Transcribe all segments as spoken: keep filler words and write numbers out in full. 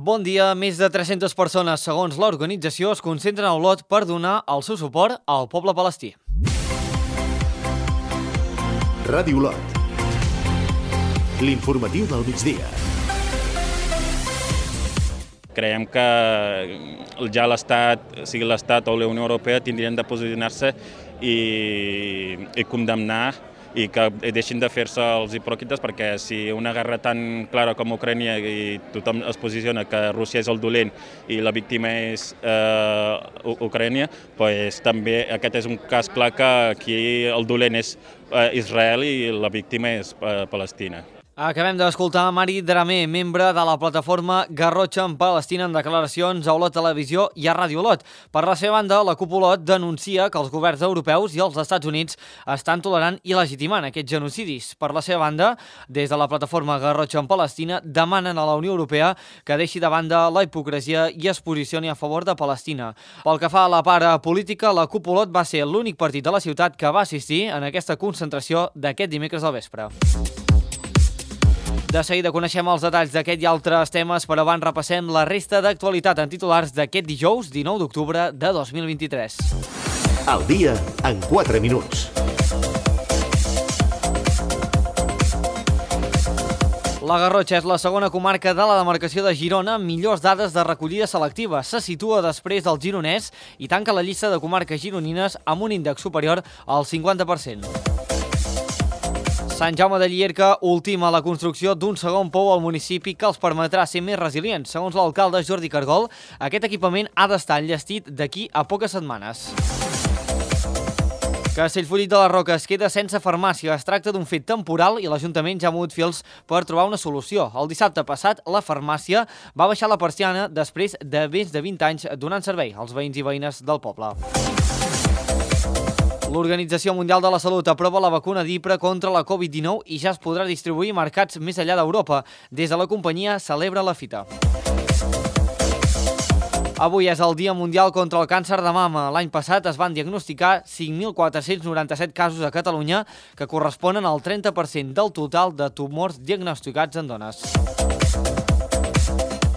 Bon dia. Més de tres-centes persones, segons l'organització, es concentren a Olot per donar el seu suport al poble palestí. Ràdio Olot. L'informatiu del migdia. Creiem que ja l'Estat, sigui l'Estat o la Unió Europea, tindrien de posicionar-se i, i condemnar i que deixin de fer-se els hipòcrites, perquè si una guerra tan clara com Ucrània i tothom es posiciona que Rússia és el dolent i la víctima és eh, Ucrània, doncs també aquest és un cas clar que aquí el dolent és eh, Israel i la víctima és eh, Palestina. Acabem d'escoltar Mari Dramé, membre de la plataforma Garrotxa en Palestina, en declaracions a Olot Televisió i a Ràdio Olot. Per la seva banda, la CUP Olot denuncia que els governs europeus i els Estats Units estan tolerant i legitimant aquests genocidis. Per la seva banda, des de la plataforma Garrotxa en Palestina, demanen a la Unió Europea que deixi de banda la hipocresia i es posicioni a favor de Palestina. Pel que fa a la part política, la CUP Olot va ser l'únic partit de la ciutat que va assistir en aquesta concentració d'aquest dimecres al vespre. De seguida coneixem els detalls d'aquest i altres temes, però abans repassem la resta d'actualitat en titulars d'aquest dijous dinou d'octubre de dos mil vint-i-tres. El dia en quatre minuts. La Garrotxa és la segona comarca de la demarcació de Girona amb millors dades de recollida selectiva. Se situa després del Gironès i tanca la llista de comarques gironines amb un índex superior al cinquanta per cent. Sant Jaume de Llierca ultima la construcció d'un segon pou al municipi que els permetrà ser més resilients. Segons l'alcalde Jordi Cargol, aquest equipament ha d'estar enllestit d'aquí a poques setmanes. Castellfollit de la Roca es queda sense farmàcia. Es tracta d'un fet temporal i l'Ajuntament ja ha mogut fils per trobar una solució. El dissabte passat, la farmàcia va baixar la persiana després de més de vint anys donant servei als veïns i veïnes del poble. L'Organització Mundial de la Salut aprova la vacuna d'Ipra contra la covid dinou i ja es podrà distribuir a mercats més enllà d'Europa. Des de la companyia celebra la fita. Avui és el Dia Mundial contra el Càncer de Mama. L'any passat es van diagnosticar cinc mil quatre-cents noranta-set casos a Catalunya, que corresponen al trenta per cent del total de tumors diagnosticats en dones.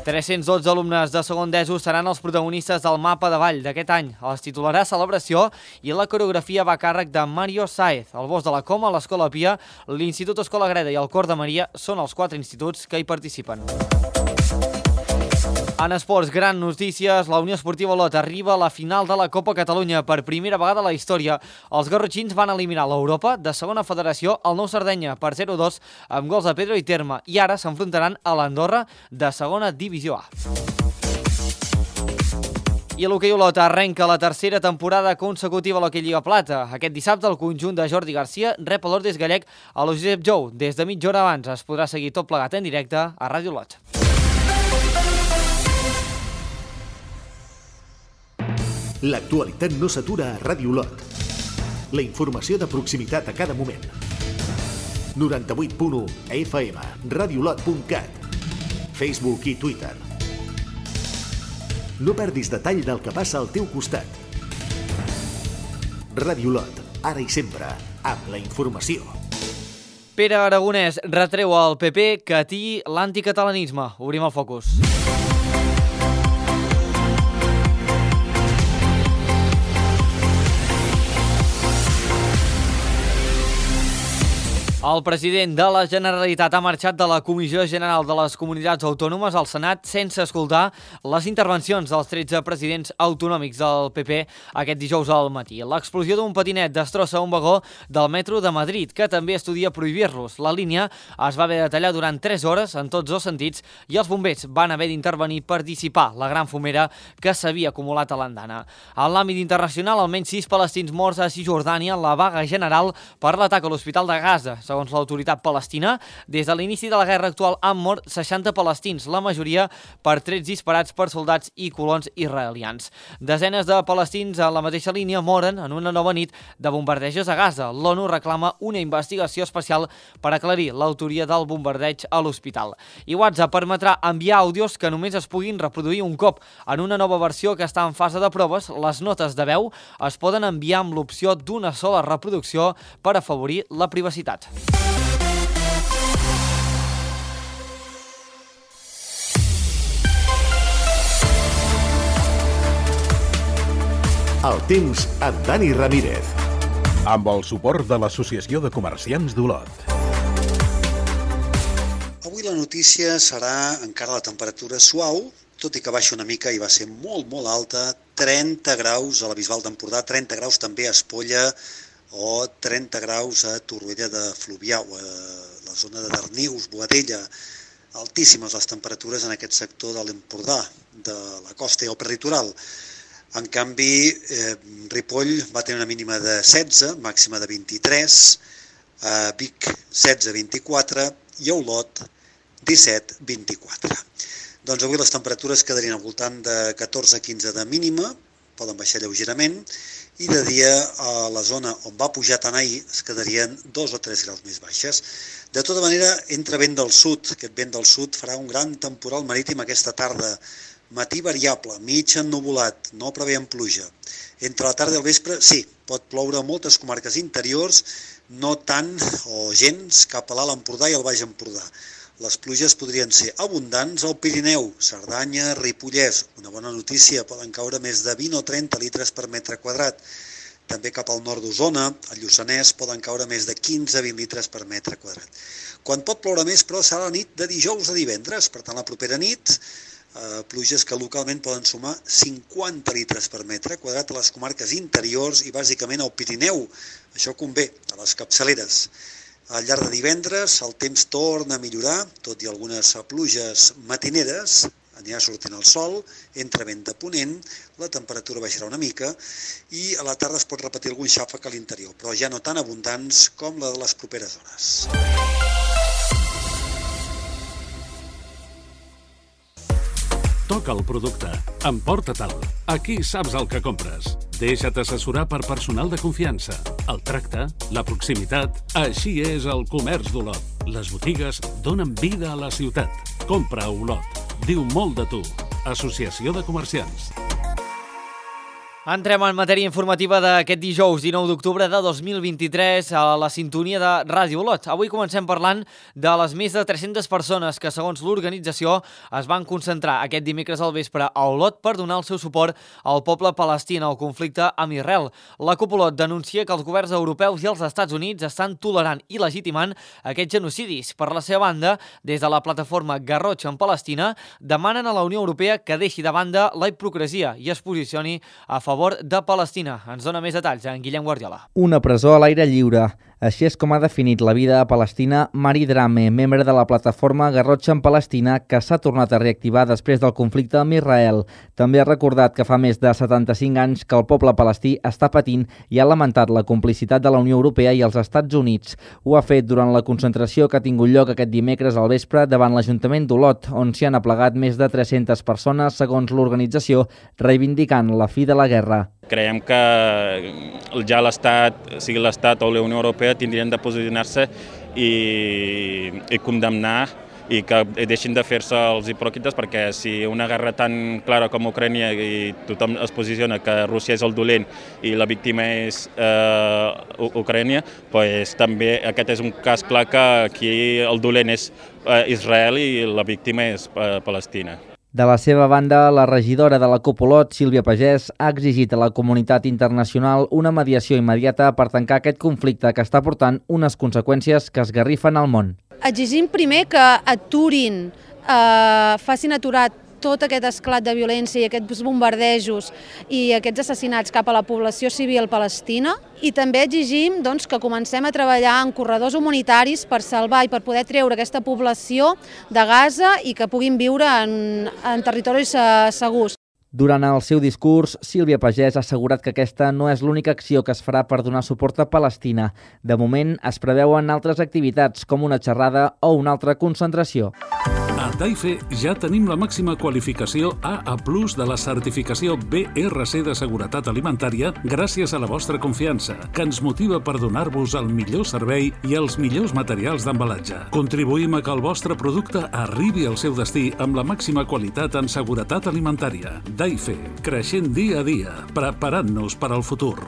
tres-cents dotze alumnes de segon d'ESO seran els protagonistes del mapa de ball d'aquest any. Els titularà Celebració i la coreografia va a càrrec de Mario Saez. El Bosc de la Coma, l'Escola Pia, l'Institut Escola Greda i el Cor de Maria són els quatre instituts que hi participen. En esports, gran notícies, la Unió Esportiva Olot arriba a la final de la Copa Catalunya per primera vegada a la història. Els garrotxins van eliminar l'Europa de segona federació al Nou Sardenya per zero a dos amb gols de Pedro i Terme i ara s'enfrontaran a l'Andorra de segona divisió A. I l'hoquei Olot arrenca la tercera temporada consecutiva a l'hoquei Lliga Plata. Aquest dissabte el conjunt de Jordi Garcia rep a l'Ordes Gallec a l'Josep Jou. Des de mitja hora abans es podrà seguir tot plegat en directe a Ràdio Olot. L'actualitat no s'atura a Ràdio Olot. La informació de proximitat a cada moment. noranta-vuit punt u F M, radiolot punt cat, Facebook i Twitter. No perdis detall del que passa al teu costat. Ràdio Olot, ara i sempre, amb la informació. Pere Aragonès retreu al P P que atiï l'anticatalanisme. Obrim el focus. El president de la Generalitat ha marxat de la Comissió General de les Comunitats Autònomes al Senat sense escoltar les intervencions dels tretze presidents autonòmics del P P aquest dijous al matí. L'explosió d'un patinet destrossa un vagó del metro de Madrid, que també estudia prohibir-los. La línia es va haver de tallar durant tres hores en tots dos sentits i els bombers van haver d'intervenir per dissipar la gran fumera que s'havia acumulat a l'andana. En l'àmbit internacional, almenys sis palestins morts a Cisjordània en la vaga general per l'atac a l'Hospital de Gaza. Segons l'autoritat palestina, des de l'inici de la guerra actual han mort seixanta palestins, la majoria per trets disparats per soldats i colons israelians. Desenes de palestins a la mateixa línia moren en una nova nit de bombardejos a Gaza. L'ONU reclama una investigació especial per aclarir l'autoria del bombardeig a l'hospital. I WhatsApp permetrà enviar àudios que només es puguin reproduir un cop. En una nova versió que està en fase de proves, les notes de veu es poden enviar amb l'opció d'una sola reproducció per afavorir la privacitat. El temps amb Dani Ramírez. Amb el suport de l'Associació de Comerciants d'Olot. Avui la notícia serà encara la temperatura suau, tot i que baixa una mica i va ser molt, molt alta, trenta graus a la Bisbal d'Empordà, trenta graus també a Espolla o trenta graus a Torroella de Fluvià, o a la zona de Darnius, Boadella. Altíssimes les temperatures en aquest sector de l'Empordà, de la costa i el prelitoral. En canvi, eh, Ripoll va tenir una mínima de setze, màxima de vint-i-tres, eh, Vic setze vint-i-quatre i a Olot disset vint-i-quatre. Doncs avui les temperatures quedarien al voltant de catorze quinze de mínima, poden baixar lleugerament, i de dia a la zona on va pujar tant ahir es quedarien dos o tres graus més baixes. De tota manera, entra vent del sud. Aquest vent del sud farà un gran temporal marítim aquesta tarda. Matí variable, mig ennuvolat, no preveiem pluja. Entre la tarda i el vespre, sí, pot ploure a moltes comarques interiors, no tant o gens cap a l'Alt Empordà i el Baix Empordà. Les pluges podrien ser abundants al Pirineu, Cerdanya, Ripollès. Una bona notícia, poden caure més de vint o trenta litres per metre quadrat. També cap al nord d'Osona, al Lluçanès, poden caure més de quinze a vint litres per metre quadrat. Quan pot ploure més, però, serà la nit de dijous a divendres. Per tant, la propera nit, eh, pluges que localment poden sumar cinquanta litres per metre quadrat a les comarques interiors i bàsicament al Pirineu. Això convé a les capçaleres. Al llarg de divendres el temps torna a millorar, tot i algunes pluges matineres, anirà sortint el sol, entra vent de ponent, la temperatura baixarà una mica i a la tarda es pot repetir algun xàfec a l'interior, però ja no tan abundants com la de les properes hores. Toca el producte, emporta-te'l. Aquí saps el que compres. Deixa't assessorar per personal de confiança. El tracte, la proximitat, així és el comerç d'Olot. Les botigues donen vida a la ciutat. Compra a Olot. Diu molt de tu. Associació de Comerciants. Entrem en matèria informativa d'aquest dijous dinou d'octubre de dos mil vint-i-tres a la sintonia de Ràdio Olot. Avui comencem parlant de les més de tres-centes persones que, segons l'organització, es van concentrar aquest dimecres al vespre a Olot per donar el seu suport al poble palestí en el conflicte amb Israel. La CUP Olot denuncia que els governs europeus i els Estats Units estan tolerant i legitimant aquests genocidis. Per la seva banda, des de la plataforma Garrocha en Palestina, demanen a la Unió Europea que deixi de banda la hipocresia i es posicioni a favor favor de Palestina. Ens dona més detalls en Guillem Guardiola. Una presó a l'aire lliure. Així és com ha definit la vida a Palestina Mari Drame, membre de la plataforma Garrocha en Palestina, que s'ha tornat a reactivar després del conflicte amb Israel. També ha recordat que fa més de setanta-cinc anys que el poble palestí està patint i ha lamentat la complicitat de la Unió Europea i els Estats Units. Ho ha fet durant la concentració que ha tingut lloc aquest dimecres al vespre davant l'Ajuntament d'Olot, on s'hi han aplegat més de tres-centes persones, segons l'organització, reivindicant la fi de la guerra. Creiem que ja l'Estat, sigui l'Estat o la Unió Europea, tindrien de posicionar-se i, i condemnar i que deixin de fer-se els hipòcrites, perquè si una guerra tan clara com Ucrània i tothom es posiciona que Rússia és el dolent i la víctima és eh, Ucrània, doncs també aquest és un cas clar que aquí el dolent és eh, Israel i la víctima és eh, Palestina. De la seva banda, la regidora de la CUP Olot, Sílvia Pagès, ha exigit a la comunitat internacional una mediació immediata per tancar aquest conflicte que està portant unes conseqüències que esgarrifen el món. Exigim primer que aturin, eh, facin aturar tot aquest esclat de violència i aquests bombardejos i aquests assassinats cap a la població civil palestina, i també exigim doncs, que comencem a treballar en corredors humanitaris per salvar i per poder treure aquesta població de Gaza i que puguin viure en, en territoris eh, segurs. Durant el seu discurs, Sílvia Pagès ha assegurat que aquesta no és l'única acció que es farà per donar suport a Palestina. De moment, es preveuen altres activitats, com una xerrada o una altra concentració. A Taife ja tenim la màxima qualificació A A plus de la certificació B R C de seguretat alimentària gràcies a la vostra confiança, que ens motiva per donar-vos el millor servei i els millors materials d'embalatge. Contribuïm a que el vostre producte arribi al seu destí amb la màxima qualitat en seguretat alimentària. Taife, creixent dia a dia, preparant-nos per al futur.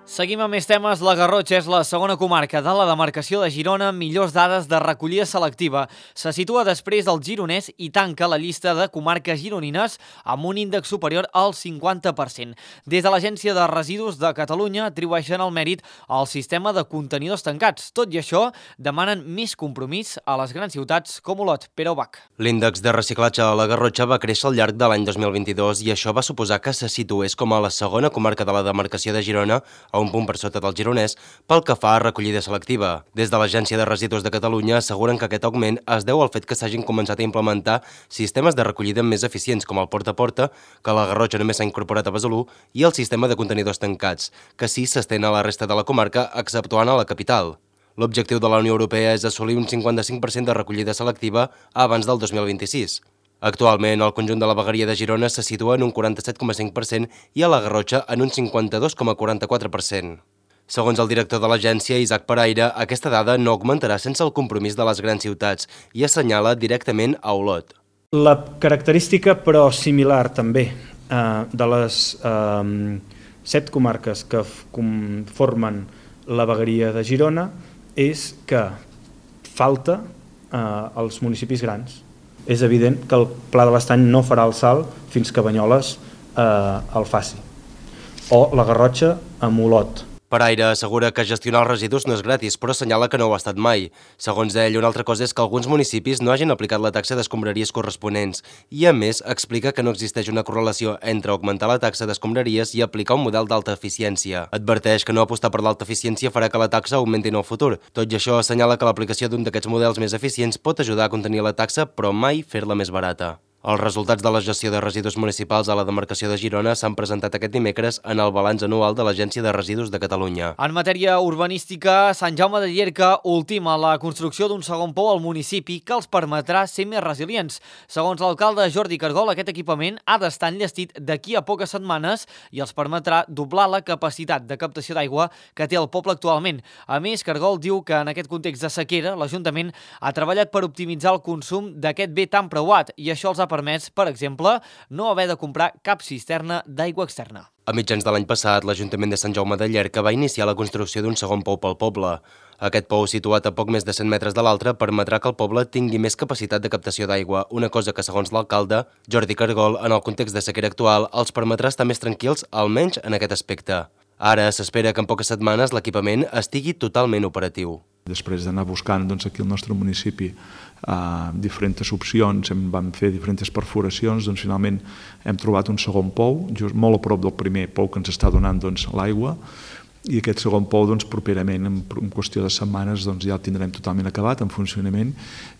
Seguim amb més temes. La Garrotxa és la segona comarca de la demarcació de Girona amb millors dades de recollida selectiva. Se situa després del Gironès i tanca la llista de comarques gironines amb un índex superior al cinquanta per cent. Des de l'Agència de Residus de Catalunya atribueixen el mèrit al sistema de contenidors tancats. Tot i això, demanen més compromís a les grans ciutats com Olot. Pere Ubach. L'índex de reciclatge a la Garrotxa va créixer al llarg de l'any dos mil vint-i-dos i això va suposar que se situés com a la segona comarca de la demarcació de Girona, a un punt per sota del Gironès, pel que fa a recollida selectiva. Des de l'Agència de Residus de Catalunya asseguren que aquest augment es deu al fet que s'hagin començat a implementar sistemes de recollida més eficients com el porta a porta, que a la Garrotxa només s'ha incorporat a Besalú, i el sistema de contenidors tancats, que sí s'estén a la resta de la comarca, exceptuant a la capital. L'objectiu de la Unió Europea és assolir un cinquanta-cinc per cent de recollida selectiva abans del dos mil vint-i-sis. Actualment, el conjunt de la vegueria de Girona se situa en un quaranta-set coma cinc per cent i a la Garrotxa en un cinquanta-dos coma quaranta-quatre per cent. Segons el director de l'agència, Isaac Paraire, aquesta dada no augmentarà sense el compromís de les grans ciutats i assenyala directament a Olot. La característica, però similar també, eh, de les eh, set comarques que formen la vegueria de Girona és que falta eh, als municipis grans. És evident que el Pla de l'Estany no farà el salt fins que Banyoles eh, el faci, o la Garrotxa amb Olot. Paraire assegura que gestionar els residus no és gratis, però assenyala que no ho ha estat mai. Segons ell, una altra cosa és que alguns municipis no hagin aplicat la taxa d'escombraries corresponents i, a més, explica que no existeix una correlació entre augmentar la taxa d'escombraries i aplicar un model d'alta eficiència. Adverteix que no apostar per l'alta eficiència farà que la taxa augmenti en el futur. Tot i això, assenyala que l'aplicació d'un d'aquests models més eficients pot ajudar a contenir la taxa, però mai fer-la més barata. Els resultats de la gestió de residus municipals a la demarcació de Girona s'han presentat aquest dimecres en el balanç anual de l'Agència de Residus de Catalunya. En matèria urbanística, Sant Jaume de Llierca ultima la construcció d'un segon pou al municipi que els permetrà ser més resilients. Segons l'alcalde Jordi Cargol, aquest equipament ha d'estar enllestit d'aquí a poques setmanes i els permetrà doblar la capacitat de captació d'aigua que té el poble actualment. A més, Cargol diu que en aquest context de sequera l'Ajuntament ha treballat per optimitzar el consum d'aquest bé tan preuat i això els ha permès, per exemple, no haver de comprar cap cisterna d'aigua externa. A mitjans de l'any passat, l'Ajuntament de Sant Jaume de Llierca va iniciar la construcció d'un segon pou pel poble. Aquest pou, situat a poc més de cent metres de l'altre, permetrà que el poble tingui més capacitat de captació d'aigua, una cosa que, segons l'alcalde, Jordi Cargol, en el context de sequera actual, els permetrà estar més tranquils, almenys en aquest aspecte. Ara s'espera que en poques setmanes l'equipament estigui totalment operatiu. Després d'anar buscant doncs, aquí al nostre municipi eh, diferents opcions, hem, vam fer diferents perforacions, doncs finalment hem trobat un segon pou, just molt a prop del primer pou que ens està donant doncs, l'aigua, i aquest segon pou doncs, properament, en, en qüestió de setmanes, doncs, ja el tindrem totalment acabat, en funcionament,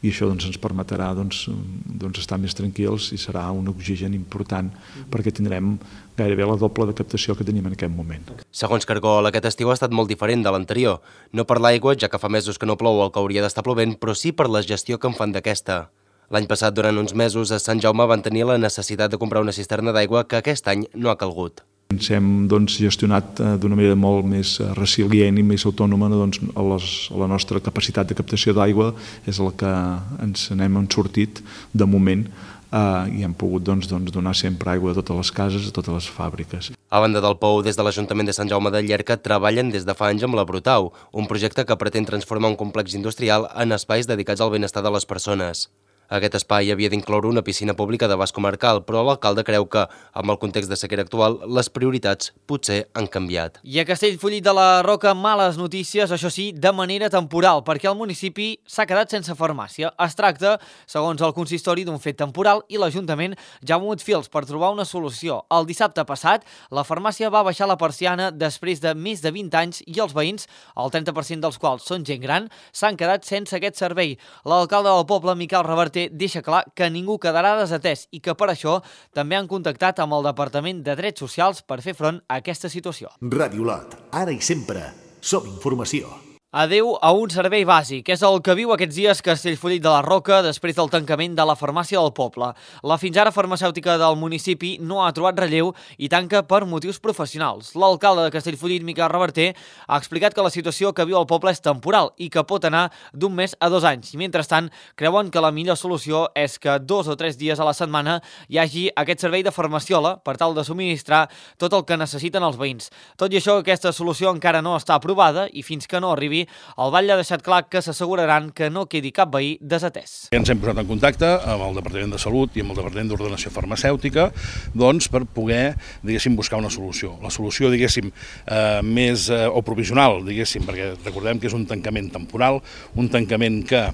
i això doncs, ens permetrà doncs, doncs, estar més tranquils i serà un oxigen important perquè tindrem gairebé la doble de captació que tenim en aquest moment. Segons Cargol, aquest estiu ha estat molt diferent de l'anterior. No per l'aigua, ja que fa mesos que no plou el que hauria d'estar plovent, però sí per la gestió que en fan d'aquesta. L'any passat, durant uns mesos, a Sant Jaume van tenir la necessitat de comprar una cisterna d'aigua que aquest any no ha calgut. Ens hem doncs, gestionat eh, d'una manera molt més resilient i més autònoma, doncs, a, les, a la nostra capacitat de captació d'aigua és la que ens n'hem sortit de moment eh, i hem pogut doncs, doncs, donar sempre aigua a totes les cases, a totes les fàbriques. A banda del pou, des de l'Ajuntament de Sant Jaume de Llierca treballen des de fa anys amb la Brutau, un projecte que pretén transformar un complex industrial en espais dedicats al benestar de les persones. Aquest espai havia d'incloure una piscina pública d'abast comarcal, però l'alcalde creu que, amb el context de sequera actual, les prioritats potser han canviat. I a Castellfollit de la Roca, males notícies, això sí, de manera temporal, perquè el municipi s'ha quedat sense farmàcia. Es tracta, segons el consistori, d'un fet temporal i l'Ajuntament ja ha mogut fils per trobar una solució. El dissabte passat, la farmàcia va baixar la persiana després de més de vint anys i els veïns, el trenta per cent dels quals són gent gran, s'han quedat sense aquest servei. L'alcalde del poble, Miquel Reverter, deixa clar que ningú quedarà desatès i que per això també han contactat amb el Departament de Drets Socials per fer front a aquesta situació. Ràdio Lot, ara i sempre, som informació. Adeu a un servei bàsic. És el que viu aquests dies Castellfollit de la Roca després del tancament de la farmàcia del poble. La fins ara farmacèutica del municipi no ha trobat relleu i tanca per motius professionals. L'alcalde de Castellfollit, Miquel Reverter, ha explicat que la situació que viu el poble és temporal i que pot anar d'un mes a dos anys. I mentrestant, creuen que la millor solució és que dos o tres dies a la setmana hi hagi aquest servei de farmaciola per tal de subministrar tot el que necessiten els veïns. Tot i això, aquesta solució encara no està aprovada i fins que no arribi, el batlle ha deixat clar que s'asseguraran que no quedi cap veí desatès. Ens hem posat en contacte amb el Departament de Salut i amb el Departament d'Ordenació Farmacèutica doncs, per poder, diguéssim, buscar una solució. La solució, diguéssim, eh, més eh, o provisional, diguéssim, perquè recordem que és un tancament temporal, un tancament que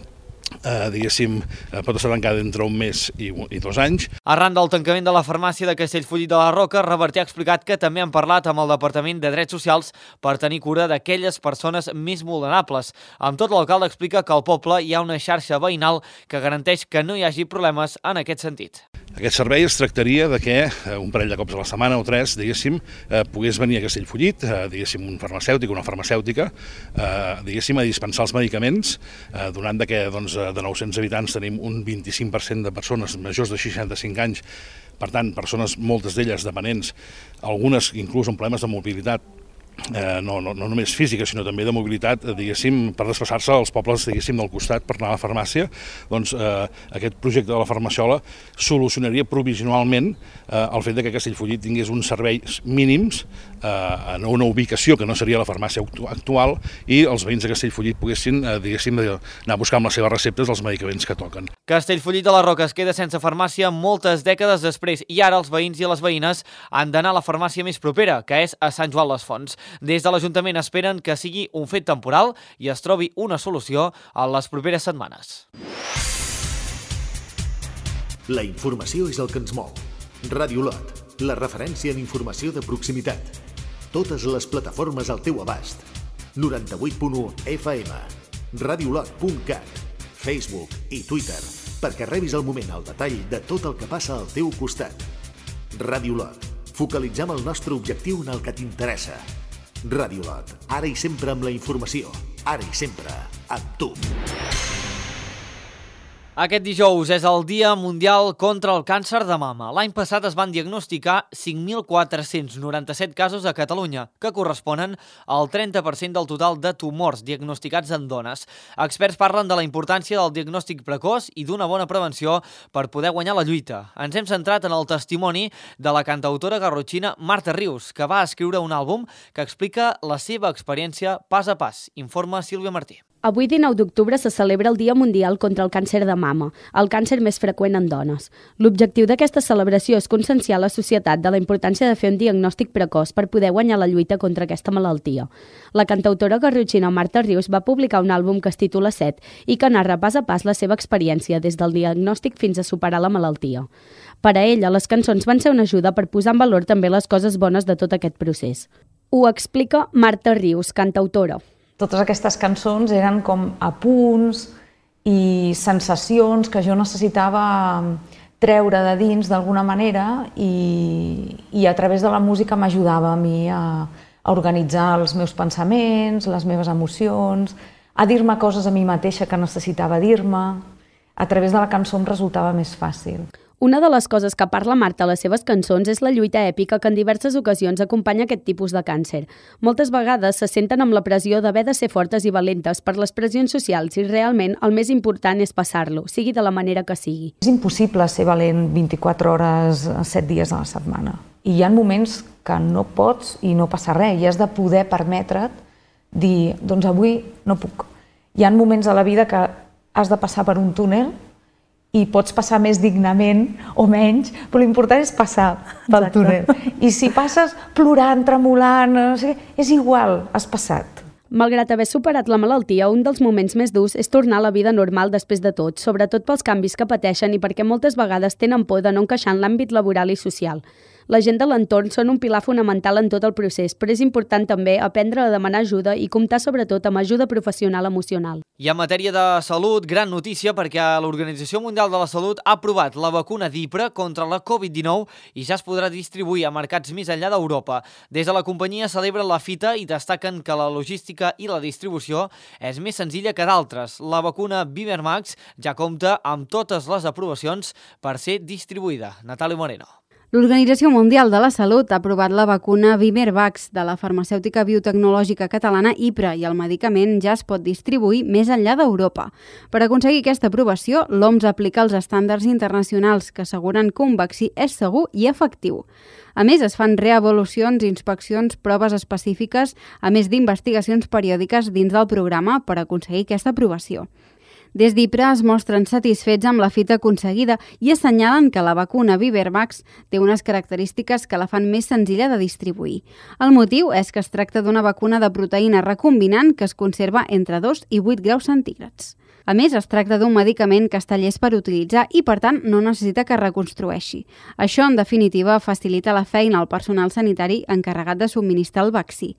Eh, diguéssim, eh, pot estar tancada entre un mes i, i dos anys. Arran del tancament de la farmàcia de Castellfollit de la Roca, Reverter ha explicat que també han parlat amb el Departament de Drets Socials per tenir cura d'aquelles persones més vulnerables. Amb tot, l'alcalde explica que al poble hi ha una xarxa veïnal que garanteix que no hi hagi problemes en aquest sentit. Aquest servei es tractaria de que eh, un parell de cops a la setmana o tres, diguéssim, eh, pogués venir a Castellfollit, eh, diguéssim, un farmacèutic, una farmacèutica, eh, diguéssim, a dispensar els medicaments, eh, donant de que, doncs, de nou-cents habitants tenim un vint-i-cinc per cent de persones majors de seixanta-cinc anys, per tant, persones, moltes d'elles dependents, algunes inclús amb problemes de mobilitat, Eh, no, no, no només física, sinó també de mobilitat, eh, diguéssim, per desplaçar-se als pobles, diguéssim, del costat per anar a la farmàcia, doncs eh, aquest projecte de la farmaciola solucionaria provisionalment eh, el fet de que Castellfollit tingués uns serveis mínims eh, en una ubicació que no seria la farmàcia actual i els veïns de Castellfollit poguessin, eh, diguéssim, anar a buscar amb les seves receptes els medicaments que toquen. Castellfollit de la Roca es queda sense farmàcia moltes dècades després i ara els veïns i les veïnes han d'anar a la farmàcia més propera, que és a Sant Joan les Fonts. Des de l'Ajuntament esperen que sigui un fet temporal i es trobi una solució en les properes setmanes. La informació és el que ens mou. Ràdio Lot, la referència en informació de proximitat. Totes les plataformes al teu abast. noranta-vuit punt u F M, radiolot punt cat, Facebook i Twitter, perquè rebis al moment el detall de tot el que passa al teu costat. Ràdio Lot, focalitzem el nostre objectiu en el que t'interessa. Ràdio Lot, ara i sempre amb la informació, ara i sempre amb tu. Aquest dijous és el Dia Mundial contra el Càncer de Mama. L'any passat es van diagnosticar cinc mil quatre-cents noranta-set casos a Catalunya, que corresponen al trenta per cent del total de tumors diagnosticats en dones. Experts parlen de la importància del diagnòstic precoç i d'una bona prevenció per poder guanyar la lluita. Ens hem centrat en el testimoni de la cantautora garrotxina Marta Rius, que va escriure un àlbum que explica la seva experiència pas a pas. Informa Sílvia Martí. Avui, dinou d'octubre, se celebra el Dia Mundial contra el Càncer de Mama, el càncer més freqüent en dones. L'objectiu d'aquesta celebració és conscienciar la societat de la importància de fer un diagnòstic precoç per poder guanyar la lluita contra aquesta malaltia. La cantautora garrotxina Marta Rius va publicar un àlbum que es titula Set i que narra pas a pas la seva experiència des del diagnòstic fins a superar la malaltia. Per a ella, les cançons van ser una ajuda per posar en valor també les coses bones de tot aquest procés. Ho explica Marta Rius, cantautora. Totes aquestes cançons eren com apunts i sensacions que jo necessitava treure de dins d'alguna manera i, i a través de la música m'ajudava a mi a, a organitzar els meus pensaments, les meves emocions, a dir-me coses a mi mateixa que necessitava dir-me. A través de la cançó em resultava més fàcil. Una de les coses que parla Marta a les seves cançons és la lluita èpica que en diverses ocasions acompanya aquest tipus de càncer. Moltes vegades se senten amb la pressió d'haver de ser fortes i valentes per les pressions socials i realment el més important és passar-lo, sigui de la manera que sigui. És impossible ser valent vint-i-quatre hores, set dies a la setmana. I hi ha moments que no pots i no passa res i has de poder permetre't dir, doncs avui no puc. Hi ha moments a la vida que has de passar per un túnel i pots passar més dignament o menys, però l'important és passar pel túnel. I si passes plorant, tremolant, no sé què, és igual, has passat. Malgrat haver superat la malaltia, un dels moments més durs és tornar a la vida normal després de tot, sobretot pels canvis que pateixen i perquè moltes vegades tenen por de no encaixar en l'àmbit laboral i social. La gent de l'entorn són un pilar fonamental en tot el procés, però és important també aprendre a demanar ajuda i comptar sobretot amb ajuda professional emocional. I en matèria de salut, gran notícia perquè l'Organització Mundial de la Salut ha aprovat la vacuna d'Ipra contra la covid dinou i ja es podrà distribuir a mercats més enllà d'Europa. Des de la companyia celebren la fita i destaquen que la logística i la distribució és més senzilla que d'altres. La vacuna ViverMax ja compta amb totes les aprovacions per ser distribuïda. Natàlia Moreno. L'Organització Mundial de la Salut ha aprovat la vacuna ViverVax de la farmacèutica biotecnològica catalana Ipra i el medicament ja es pot distribuir més enllà d'Europa. Per aconseguir aquesta aprovació, l'O M S aplica els estàndards internacionals que asseguren que un vaccí és segur i efectiu. A més, es fan reavaluacions, inspeccions, proves específiques, a més d'investigacions periòdiques dins del programa per aconseguir aquesta aprovació. Des d'Ipra es mostren satisfets amb la fita aconseguida i assenyalen que la vacuna ViverVax té unes característiques que la fan més senzilla de distribuir. El motiu és que es tracta d'una vacuna de proteïna recombinant que es conserva entre dos i vuit graus centígrads. A més, es tracta d'un medicament que està llest per utilitzar i, per tant, no necessita que es reconstrueixi. Això, en definitiva, facilita la feina al personal sanitari encarregat de subministrar el vaccí.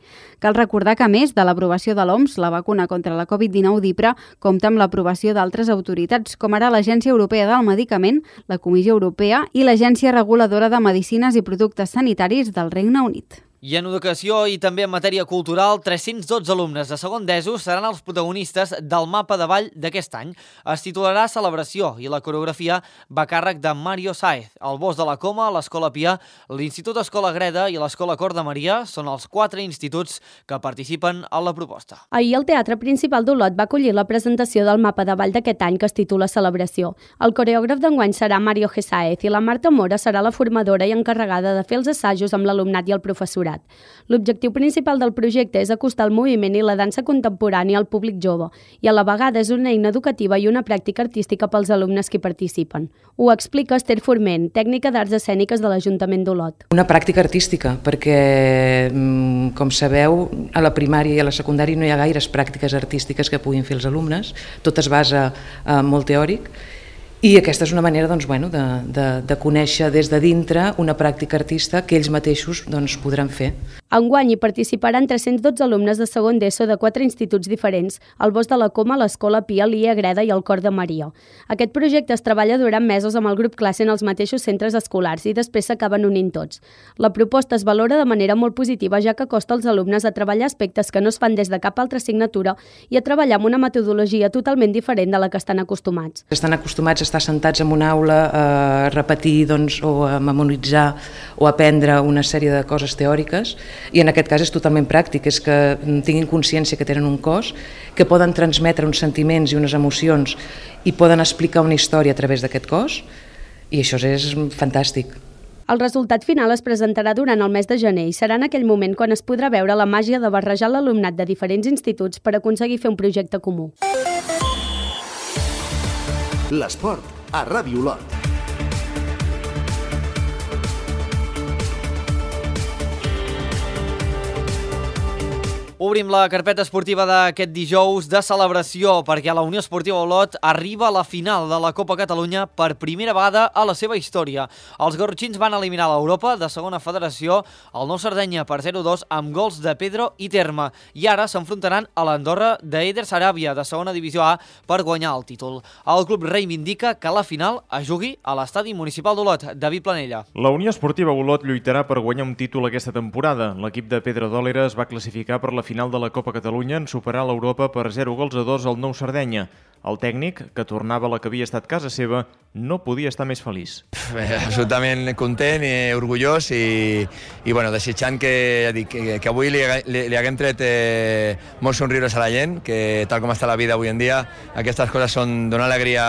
Cal recordar que, a més de l'aprovació de l'O M S, la vacuna contra la covid dinou d'Ipra compta amb l'aprovació d'altres autoritats, com ara l'Agència Europea del Medicament, la Comissió Europea i l'Agència Reguladora de Medicines i Productes Sanitaris del Regne Unit. I en educació i també en matèria cultural, tres-cents dotze alumnes de segon d'ESO seran els protagonistes del mapa de ball d'aquest any. Es titularà Celebració i la coreografia va a càrrec de Mario Saez. El Bosc de la Coma, l'Escola Pia, l'Institut Escola Greda i l'Escola Cor de Maria són els quatre instituts que participen a la proposta. Ahir el Teatre Principal d'Olot va acollir la presentació del mapa de ball d'aquest any que es titula Celebració. El coreògraf d'enguany serà Mario G. Saez i la Marta Mora serà la formadora i encarregada de fer els assajos amb l'alumnat i el professorat. L'objectiu principal del projecte és acostar el moviment i la dansa contemporània al públic jove i a la vegada és una eina educativa i una pràctica artística pels alumnes que hi participen. Ho explica Esther Forment, tècnica d'arts escèniques de l'Ajuntament d'Olot. Una pràctica artística, perquè, com sabeu, a la primària i a la secundària no hi ha gaires pràctiques artístiques que puguin fer els alumnes, tot es basa eh, molt teòric. I aquesta és una manera doncs, bueno, de, de, de conèixer des de dintre una pràctica artista que ells mateixos doncs, podran fer. Enguany hi participaran tres-cents dotze alumnes de segon d'ESO de quatre instituts diferents, el Bosc de la Coma, l'Escola Pia, l'I A Greda i el Cor de Maria. Aquest projecte es treballa durant mesos amb el grup classe en els mateixos centres escolars i després s'acaben unint tots. La proposta es valora de manera molt positiva ja que acosta als alumnes a treballar aspectes que no es fan des de cap altra assignatura i a treballar amb una metodologia totalment diferent de la que estan acostumats. Estan acostumats a estar sentats en una aula a repetir doncs, o a memoritzar o a aprendre una sèrie de coses teòriques i en aquest cas és totalment pràctic, és que tinguin consciència que tenen un cos, que poden transmetre uns sentiments i unes emocions i poden explicar una història a través d'aquest cos i això és fantàstic. El resultat final es presentarà durant el mes de gener i serà en aquell moment quan es podrà veure la màgia de barrejar l'alumnat de diferents instituts per aconseguir fer un projecte comú. L'esport a Ràdio Olot. Obrim la carpeta esportiva d'aquest dijous de celebració perquè la Unió Esportiva Olot arriba a la final de la Copa Catalunya per primera vegada a la seva història. Els garrotxins van eliminar l'Europa de segona federació al Nou Sardenya per zero dos amb gols de Pedro i Terme i ara s'enfrontaran a l'Andorra d'Eider Saràbia de segona divisió A per guanyar el títol. El club reivindica que la final es jugui a l'estadi municipal d'Olot. David Planella. La Unió Esportiva Olot lluitarà per guanyar un títol aquesta temporada. L'equip de Pedro Dòlera es va classificar per la final de la Copa Catalunya en superar l'Europa per zero gols a dos al Nou Sardenya. El tècnic, que tornava a la que havia estat casa seva, no podia estar més feliç. Absolutament content i orgullós i, i bueno, desitjant que, que, que avui li, li, li haguem tret eh, molts somriures a la gent, que tal com està la vida avui en dia, aquestes coses són donar alegria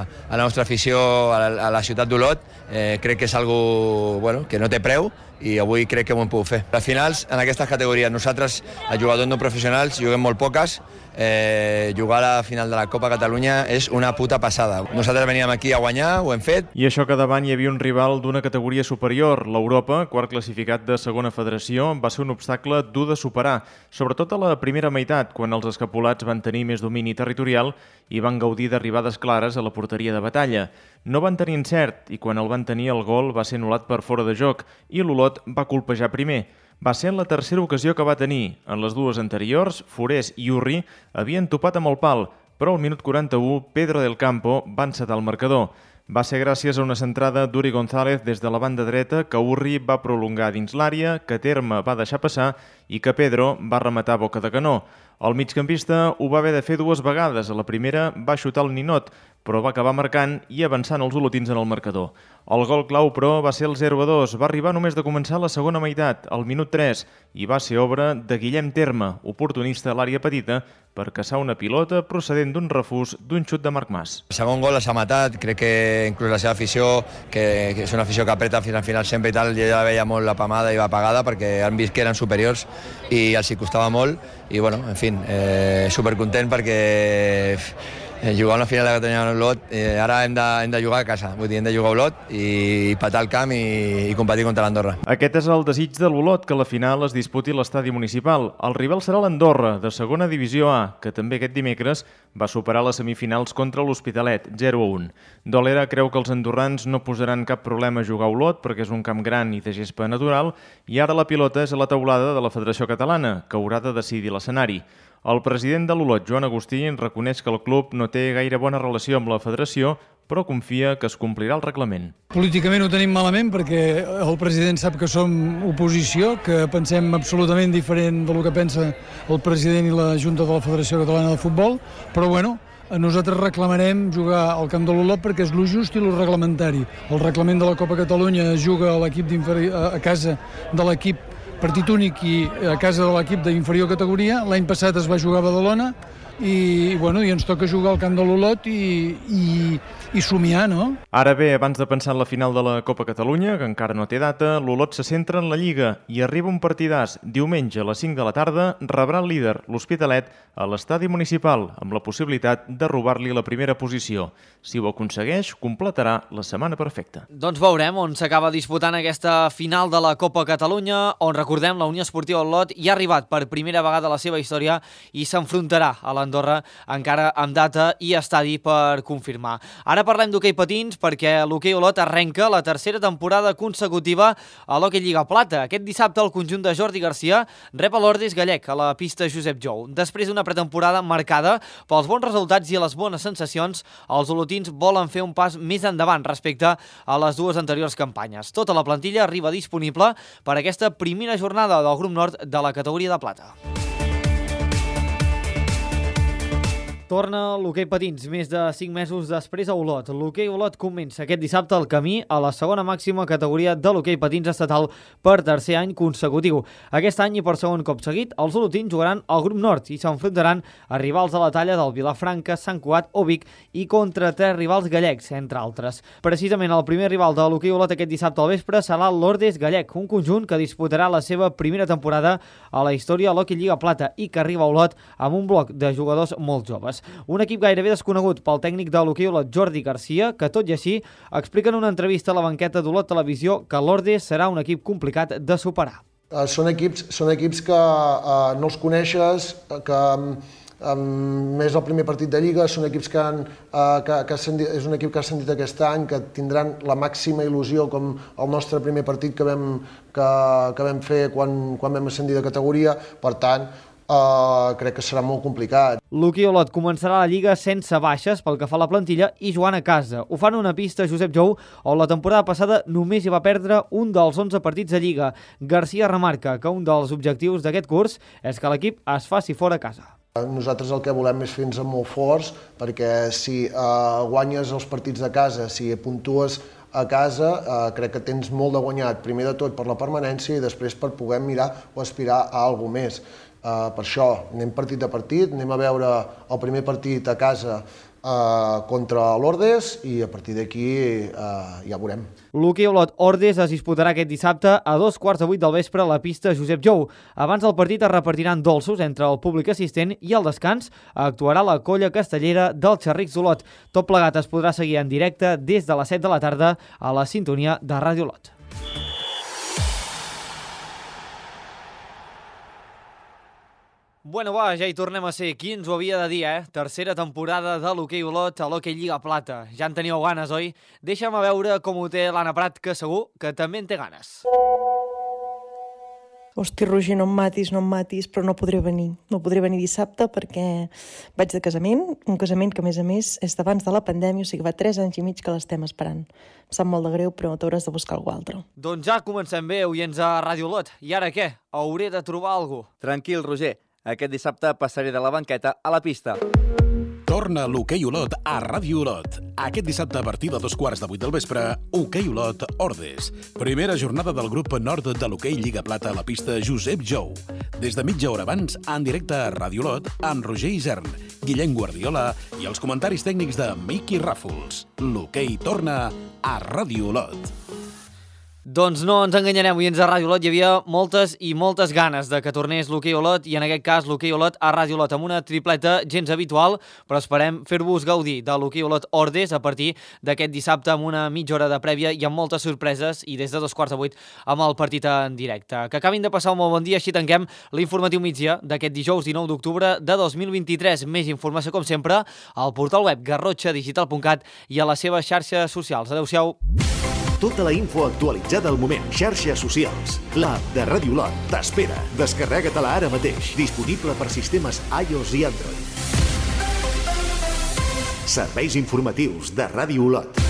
a la nostra afició, a la, a la ciutat d'Olot. Eh, crec que és algo bueno, que no té preu i avui crec que ho hem pogut fer. Les finals en aquestes categories, nosaltres, els jugadors no professionals, juguem molt poques. Eh, jugar a la final de la Copa Catalunya és una puta passada. Nosaltres veníem aquí a guanyar, ho hem fet. I això que davant hi havia un rival d'una categoria superior. L'Europa, quart classificat de segona federació, va ser un obstacle dur de superar, sobretot a la primera meitat, quan els escapulats van tenir més domini territorial i van gaudir d'arribades clares a la porteria de batalla. No van tenir encert i quan el van van tenir el gol va ser anul·lat per fora de joc i l'Olot va colpejar primer. Va ser en la tercera ocasió que va tenir. En les dues anteriors, Forés i Urri havien topat amb el pal, però al minut quaranta-u Pedro del Campo va encetar el marcador. Va ser gràcies a una centrada d'Uri González des de la banda dreta que Urri va prolongar dins l'àrea, que Terme va deixar passar i que Pedro va rematar a boca de canó. El migcampista ho va haver de fer dues vegades. A la primera va xutar el ninot, però va acabar marcant i avançant els olotins en el marcador. El gol clau, però, va ser el zero a dos. Va arribar només de començar la segona meitat, al minut tres, i va ser obra de Guillem Terme, oportunista a l'àrea petita, per caçar una pilota procedent d'un refús d'un xut de Marc Mas. El segon gol s'ha matat, crec que inclús la seva afició, que, que és una afició que apreta fins al final sempre i tal, ja la veia molt apamada i apagada perquè han vist que eren superiors i els hi costava molt i bueno, en fi, eh, supercontent perquè eh, jugar una final de Catalunya a Olot, eh, ara hem de, hem de jugar a casa, vull dir, hem de jugar a Olot i patar el camp i, i competir contra l'Andorra. Aquest és el desig de l'Olot, que la final es disputi a l'estadi municipal. El rival serà l'Andorra, de segona divisió A, que també aquest dimecres va superar les semifinals contra l'Hospitalet, zero a un. Dolera creu que els andorrans no posaran cap problema a jugar a Olot perquè és un camp gran i de gespa natural i ara la pilota és a la teulada de la Federació Catalana, que haurà de decidir l'escenari. El president de l'Olot, Joan Agustí, reconeix que el club no té gaire bona relació amb la federació, però confia que es complirà el reglament. Políticament ho tenim malament perquè el president sap que som oposició, que pensem absolutament diferent del que pensa el president i la Junta de la Federació Catalana de Futbol, però bueno, nosaltres reclamarem jugar al camp de l'Olot perquè és lo just i lo reglamentari. El reglament de la Copa Catalunya es juga a, l'equip a casa de l'equip partit únic i a casa de l'equip d'inferior categoria. L'any passat es va jugar a Badalona i, bueno, i ens toca jugar al camp de l'Olot i, i, i somiar, no? Ara bé, abans de pensar en la final de la Copa Catalunya, que encara no té data, l'Olot se centra en la Lliga i arriba un partidàs. Diumenge a les cinc de la tarda rebrà el líder, l'Hospitalet, a l'estadi municipal, amb la possibilitat de robar-li la primera posició. Si ho aconsegueix, completarà la setmana perfecta. Doncs veurem on s'acaba disputant aquesta final de la Copa Catalunya, on, recordem, la Unió Esportiva Olot hi ha arribat per primera vegada a la seva història i s'enfrontarà a l'Andorra encara amb data i estadi per confirmar. Ara parlem d'hoquei patins perquè l'hoquei Olot arrenca la tercera temporada consecutiva a l'Hockey Lliga Plata. Aquest dissabte el conjunt de Jordi Garcia rep a l'Ordes Gallec a la pista Josep Jou. Després d'una pretemporada marcada pels bons resultats i les bones sensacions, els olotins volen fer un pas més endavant respecte a les dues anteriors campanyes. Tota la plantilla arriba disponible per aquesta primera jornada del grup nord de la categoria de plata. Torna l'hoquei patins més de cinc mesos després a Olot. L'hoquei Olot comença aquest dissabte el camí a la segona màxima categoria de l'hoquei patins estatal per tercer any consecutiu. Aquest any i per segon cop seguit, els olotins jugaran al grup nord i s'enfrontaran a rivals de la talla del Vilafranca, Sant Cugat o Vic i contra tres rivals gallecs, entre altres. Precisament el primer rival de l'hoquei Olot aquest dissabte al vespre serà l'Ordes Gallec, un conjunt que disputarà la seva primera temporada a la història de l'Hockey Lliga Plata i que arriba a Olot amb un bloc de jugadors molt joves. Un equip gairebé desconegut pel tècnic de l'hoquei Olot, Jordi Garcia, que tot i així explica en una entrevista a la banqueta d'Olot Televisió que l'Ordes serà un equip complicat de superar. Uh, són equips, són equips que uh, no els coneixes, que um, més el primer partit de Lliga, són equips que, han, uh, que, que ascendit, és un equip que ha ascendit aquest any, que tindran la màxima il·lusió com el nostre primer partit que vam, que, que vam fer quan, quan vam ascendir de categoria, per tant, Uh, crec que serà molt complicat. L'hoquei Olot començarà la Lliga sense baixes pel que fa a la plantilla i jugant a casa. Ho fan una pista Josep Jou, on la temporada passada només hi va perdre un dels onze partits de Lliga. Garcia remarca que un dels objectius d'aquest curs és que l'equip es faci fora a casa. Nosaltres el que volem és fer-nos molt forts, perquè si uh, guanyes els partits de casa, si puntues a casa, uh, crec que tens molt de guanyat, primer de tot per la permanència i després per poder mirar o aspirar a alguna més. Uh, per això anem partit a partit, anem a veure el primer partit a casa uh, contra l'Ordes i a partir d'aquí uh, ja veurem. L'hoquei Olot Ordes es disputarà aquest dissabte a dos quarts de vuit del vespre a la pista Josep Jou. Abans del partit es repartiran dolços entre el públic assistent i al descans actuarà la colla castellera del Xerrics d'Olot. Tot plegat es podrà seguir en directe des de les set de la tarda a la sintonia de Ràdio Olot. Bueno, va, ja hi tornem a ser. Qui ens ho havia de dir, eh? Tercera temporada de l'Hoquei Olot a l'Hoquei Lliga Plata. Ja en teníeu ganes, oi? Deixa'm a veure com ho té l'Anna Prat, que segur que també en té ganes. Hosti, Roger, no em matis, no em matis, però no podré venir. No podré venir dissabte perquè vaig de casament, un casament que, a més a més, és d'abans de la pandèmia, o sigui, va tres anys i mig que l'estem esperant. Em sap molt de greu, però t'hauràs de buscar algú altre. Doncs ja comencem bé, oients a Ràdio Olot. I ara què? Hauré de trobar algú. Tranquil, Roger. Aquest dissabte passaré de la banqueta a la pista. Torna l'Hoquei Olot a Ràdio Olot. Aquest dissabte a partir de dos quarts de vuit del vespre, Hoquei Olot Ordes. Primera jornada del grup nord de l'Hoquei Lliga Plata a la pista Josep Jou. Des de mitja hora abans, en directe a Ràdio Olot, amb Roger Isern, Guillem Guardiola i els comentaris tècnics de Miqui Ràfols. L'Hoquei torna a Ràdio Olot. Doncs no ens enganyarem, oients a Ràdio Olot, hi havia moltes i moltes ganes de que tornés l'Hoquei Olot i en aquest cas l'Hoquei Olot a Ràdio Olot amb una tripleta gens habitual, però esperem fer-vos gaudir de l'Hoquei Olot Ordes a partir d'aquest dissabte amb una mitja hora de prèvia i amb moltes sorpreses i des de dos quarts de vuit amb el partit en directe. Que acabin de passar un molt bon dia, així tanquem l'informatiu migdia d'aquest dijous dinou d'octubre de dos mil vint-i-tres. Més informació com sempre al portal web garrotxa digital punt cat i a les seves xarxes socials. Adéu-siau. Tota la info actualitzada al moment. Xarxes socials. L'app de Ràdio Olot t'espera. Descarrega-te-la ara mateix. Disponible per sistemes iOS i Android. Serveis informatius de Ràdio Olot.